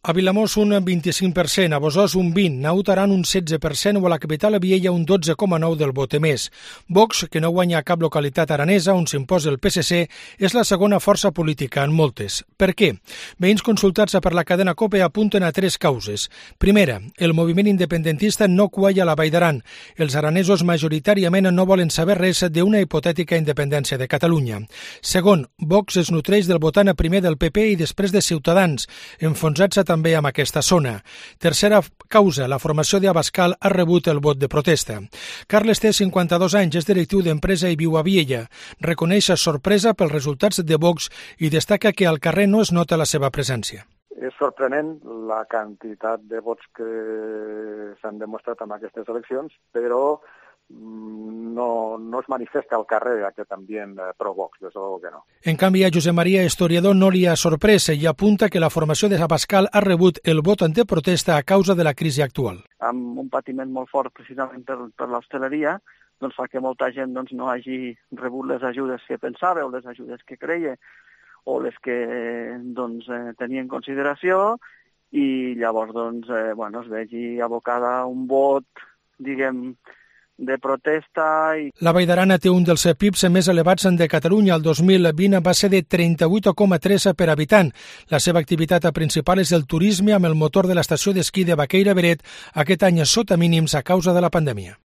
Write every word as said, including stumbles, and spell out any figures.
A Vilamòs un vint-i-cinc per cent, a Bosòs un vint per cent, a Naut Aran un setze per cent o a la capital a Viella un dotze coma nou del vot emès. Vox, que no guanya a cap localitat aranesa on s'imposa el P S C, és la segona força política en moltes. Per què? Veïns consultats per la cadena COPE apunten a tres causes. Primera, el moviment independentista no cualla a la Vall d'Aran. Els aranesos majoritàriament no volen saber res d'una hipotètica independència de Catalunya. Segon, Vox es nutreix del votant a primer del P P i després de Ciutadans, enfonsats a també amb aquesta zona. Tercera causa, la formació d'Abascal ha rebut el vot de protesta. Carles té cinquanta-dos anys, és directiu d'empresa i viu a Viella. Reconeix sorpresa pels resultats de Vox i destaca que al carrer no es nota la seva presència. És sorprenent la quantitat de vots que s'han demostrat en aquestes eleccions, però no, no es manifesta al carrer aquest ambient pro-Vox, des de que no. En canvi, a Josep Maria Historiador no li ha sorprès i apunta que la formació de Abascal ha rebut el vot en protesta a causa de la crisi actual. Amb un patiment molt fort precisament per, per l'hostaleria, doncs fa que molta gent doncs, no hagi rebut les ajudes que pensava o les ajudes que creia o les que doncs, eh, tenia en consideració i llavors doncs, eh, bueno, es vegi abocada a un vot, diguem, de protesta. I... La Vall d'Aran té un dels P I Bs més elevats de Catalunya. El dos mil vint va ser de trenta-vuit coma tres per habitant. La seva activitat principal és el turisme amb el motor de l'estació d'esquí de Baqueira Beret, aquest any sota mínims a causa de la pandèmia.